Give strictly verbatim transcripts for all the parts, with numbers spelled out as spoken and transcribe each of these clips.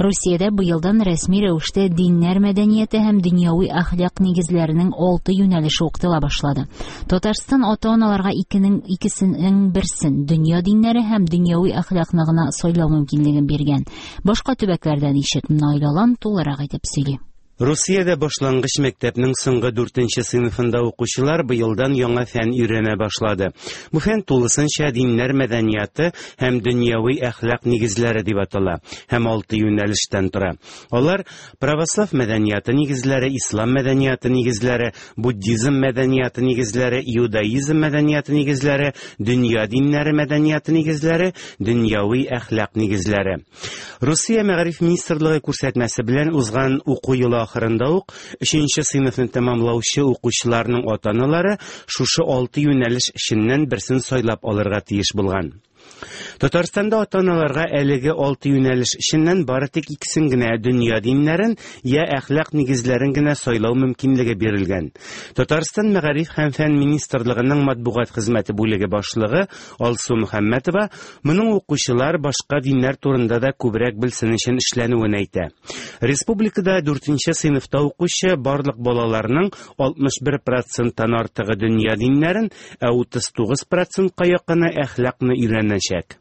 Русиядә быелдан рәсми рәвештә диннәр мәдәнияте һәм дөньяви әхлак нигезләренең алты юнәлеше укытыла башлады. Татарстан ата-аналарга икенең икесенең берсен дөнья диннәре һәм дөньяви әхлакны гына сайлау мөмкинлеген биргән. Башка төбәкләрдә ничек? Наил Алан тулырак итеп сөйли. Русиядә башлангыч мәктәпнең соңгы дүртенче сыйныфында укучылар быелдан яңа фән өйрәнә башлады. Бу фән тулысынча диннәр мәдәнияты һәм дөньяви әхлак нигезләре дип атала һәм алты юнәлештән тора. Алар православ мәдәнияты нигезләре, ислам мәдәнияты нигезләре, буддизм мәдәнияты нигезләре, иудаизм мәдәнияты нигезләре, дөнья диннәре мәдәнияты нигезләре, дөньяви әхлак нигезләре. Русия мәгариф министрлыгы күрсәтмәсе белән узган уку елы ахырында ук өченче сыйныфны тәмамлаучы укучыларның ата-аналары шушы алты юнәлеш эченнән берсен сайлап алырга тиеш булган. Татарстанда ата-аналарга әлеге алты юнәлеш эченнән бары тик икесен генә дөнья диннәрен я әхлак нигезләрен генә сайлау мөмкинлеге бирелгән. Татарстан Мәгариф һәм фән министрлыгының матбугат хезмәте бүлеге башлыгы Алсу Мөхәммәтова моның укучылар башка диннәр турында да күбрәк белсен өчен эшләнүен әйтә. Республикада дүртенче сыйныфта укучы барлык балаларның алтмыш бер проценттан артыгы дөнья диннәрен, ә утыз тугыз процентка якыны әхлакны өйрәнәчәк.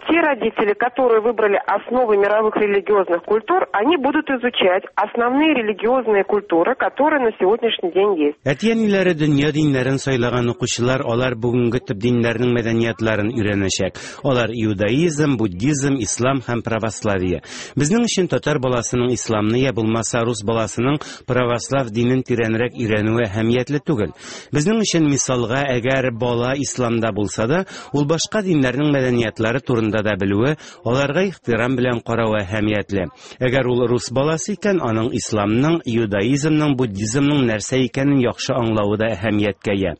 Те родители, которые выбрали основы мировых религиозных культур, они будут изучать основные религиозные культуры, которые на сегодняшний день есть. Әти-әниләре дөнья диннәрен сайлаган укучылар, алар бүгенге төп диннәрнең мәдәниятларын өйрәнәчәк. Алар иудаизм, буддизм, ислам һәм православие. Безнең өчен татар баласының исламны я булмаса рус баласының православ динен тирәнрәк өйрәнүе әһәмиятле түгел. Безнең өчен мисалга, әгәр бала исламда булса да, ул башка диннәрнең мәдәниятлары турында да белүе, аларга ихтирам белән каравы әһәмиятле. Әгәр ул рус баласы икән, аның исламның, иудаизмның, буддизмның нәрсә икәнен яхшы аңлавы да әһәмияткә ия.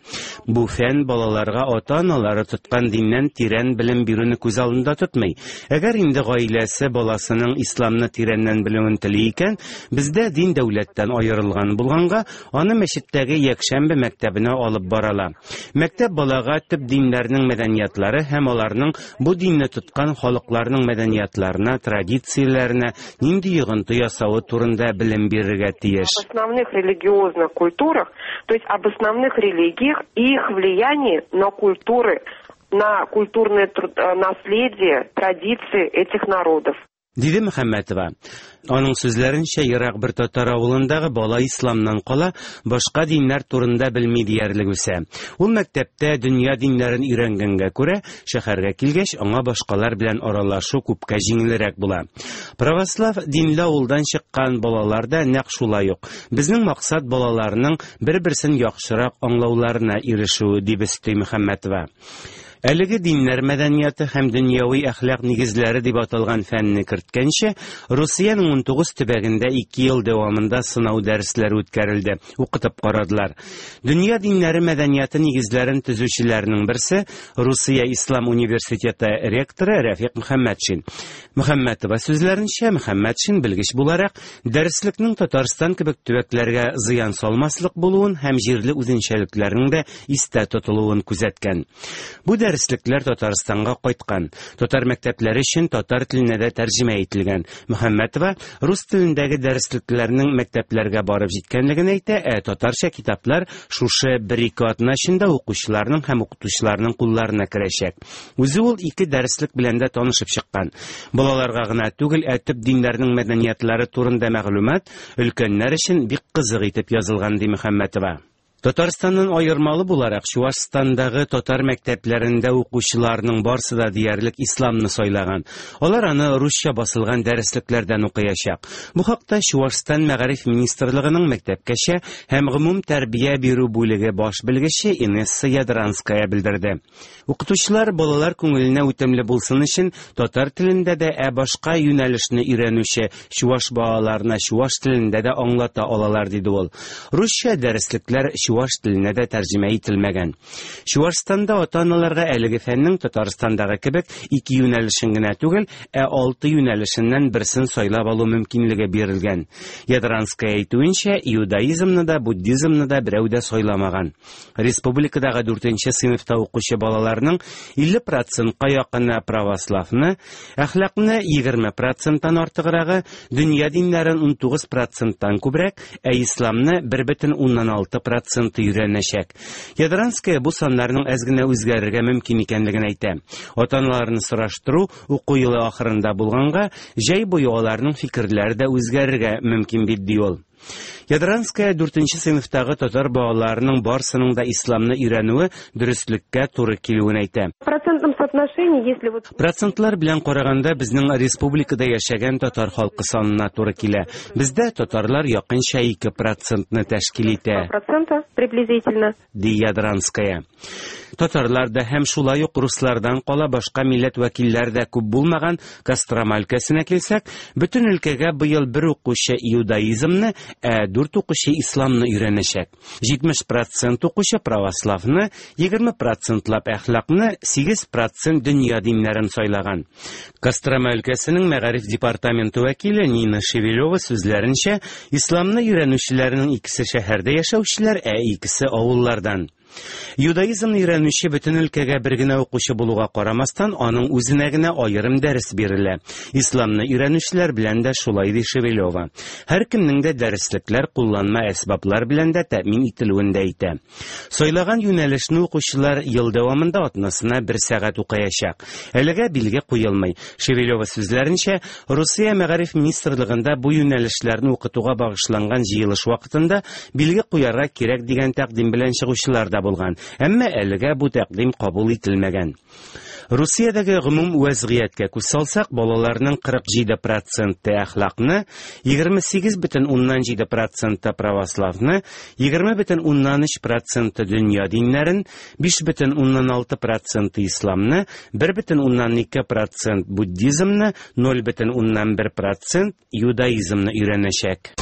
Бу фән балаларга ата-аналары тоткан диннән тирән белем бирүне күз алдында тотмый. Әгәр инде гаиләсе баласының исламны тирәннән белүен тели икән, бездә дин дәүләттән аерылган булганга, аны мәчеттәге якшәмбе мәктәбенә алып барала. Мәктәп балага төп диннәрнең мәдәниятлары һәм аларның бу динне тоткан халыкларның мәдәниятларына, традицияләренә нинди йогынты ясавы турында белем бирергә тиеш. Об основных религиозных культурах, то есть об основных религиях и их влиянии на культуры, на культурное труд-, э, наследие, традиции этих народов. Диде Мөхәммәтова. Аның сүзләренчә, ерак бер татар авылындагы бала исламнан кала башка диннәр турында белми диярлек үсә. Ул мәктәптә дөнья диннәрен өйрәнгәнгә күрә, шәһәргә килгәч, аңа башкалар белән аралашу күпкә җиңелрәк була. Православ динле авылдан чыккан балалар да нәкъ шулай ук. Безнең максат балаларның бер-берсен яхшырак аңлауларына ирешү, дип өсти Мөхәммәтова. Әлеге диннәр мәдәнияты һәм дөньяви әхлак нигезләре дип аталган фәнне керткәнче, Русиянең унтугыз төбәгендә ике ел дәвамында сынау дәресләре үткәрелде, укытып карадылар. Дөнья диннәре мәдәнияты нигезләрен төзүчеләрнең берсе Русия Ислам университеты ректоры Рәфикъ Мөхәммәтшин. Мөхәммәтова сүзләренчә, Мөхәммәтшин белгеч буларак дәреслекнең Татарстан кебек төбәкләргә зыян салмаслык булуын һәм җирле үзенчәлекләрнең дә истә тотылуын күзәткән. Бу дәреслекләр Татарстанга кайткан. Татар мәктәпләре өчен татар теленә дә тәрҗемә ителгән. Мөхәммәтова рус телендәге дәреслекләрнең мәктәпләргә барып җиткәнлеген әйтә, ә татарча китаплар шушы бер-ике атна эчендә укучыларның һәм укытучыларның кулларына керәчәк. Үзе ул ике дәреслек белән дә танышып чыккан. Балаларга гына түгел, ә төп диннәрнең мәдәниятләре турында мәгълүмат өлкәннәр өчен бик кызык итеп язылган, ди Мөхәммәтова. Татарстаннан аермалы буларак, Чуашстандагы татар мәктәпләрендә укучыларның барсы да диярлек исламны сайлаган. Алар аны русча басылган дәреслекләрдән укыячак. Бу хакта Чуашстан Мәгариф министрлыгының мәктәпкәчә һәм гомум тәрбия бирү бүлеге баш белгече Инесса Ядранская белдерде. Укытучылар балалар күңеленә үтемле булсын өчен татар телендә дә, ә башка юнәлешне өйрәнүче чуаш балаларына чуаш телендә дә аңлата алалар, диде ул. Русча дәреслекләр чуаш теленә дә тәрҗемә ителмәгән. Чуашстанда ата-аналарга әлеге фәннең Татарстандагы кебек ике юнәлешен генә түгел, ә алты юнәлешеннән берсен сайлап алу мөмкинлеге бирелгән. Ядранская әйтүенчә, иудаизмны да, буддизмны да берәү дә сайламаган. Республикадагы дүртенче сыйныфта укучы балаларның илле процентка якыны православны, әхлакны егерме проценттан артыграгы, дөнья диннәрен унтугыз проценттан күбрәк, ә исламны бер бөтен уннан алты проценты өйрәнәчәк. Ядранская бу саннарның әз генә үзгәрергә мөмкин икәнлеген әйтә. Ата-аналарны сораштыру уку елы ахырында булганга, җәй буе аларның фикерләре дә үзгәрергә мөмкин бит, ди ул. Ядранская дүртенче сыйныфтагы татар балаларының барсының да исламны өйрәнүе дөреслеккә туры килүен әйтә. В процентном соотношении, если вот Процентлар белән караганда безнең республикада яшәгән татар халкы санына туры килә. Бездә татарлар якынча ике процентны тәшкил итә. Процента приблизительно. Ди Ядранская. Татарлар да һәм шулай ук руслардан кала башка милләт вәкилләре дә күп булмаган Кострома өлкәсенә килсәк, бөтен өлкәгә быел бер укучы иудаизмны, ә дүрт укучы исламны өйрәнәчәк. Җитмеш процент укучы православны, егерме процентлап әхлакны, сигез процент дөнья диннәрен сайлаган. Кострома өлкәсенең мәгариф департаменты вәкиле Нина Шевелева сүзләренчә, исламны өйрәнүчеләрнең икесе шәһәрдә яшәүчеләр, ә икесе авыллардан. Юдаизмны өйрәнүче бөтен өлкәгә бер генә укучы булуга карамастан, аның үзенә генә аерым дәрес бирелә. Исламны өйрәнүчеләр белән дә шулай, ди Шевелева. Һәркемнең дә дәреслекләр, кулланма әсбаплар белән дә тәэмин ителүен дә әйтә. Сайлаган юнәлешне укучылар ел дәвамында атнасына бер сәгать укыячак. Әлегә билге куелмый. Шевелева сүзләренчә, Русия мәгариф министрлыгында бу юнәлешләрне укытуга багышланган җыелыш вакытында билге куярга кирәк дигән тәкъдим белән чыгучылар да булган. Әмма әлегә бу тәкъдим кабул ителмәгән. Русиядәге гомум вәзгыятькә күз салсак, балаларның кырык җиде проценты әхлакны, егерме сигез бөтен уннан җиде проценты православны, егерме бөтен уннан өч проценты дөнья диннәрен, биш бөтен уннан алты проценты исламны, бер бөтен уннан ике процент буддизмны, ноль бөтен уннан бер процент иудаизмны өйрәнәчәк.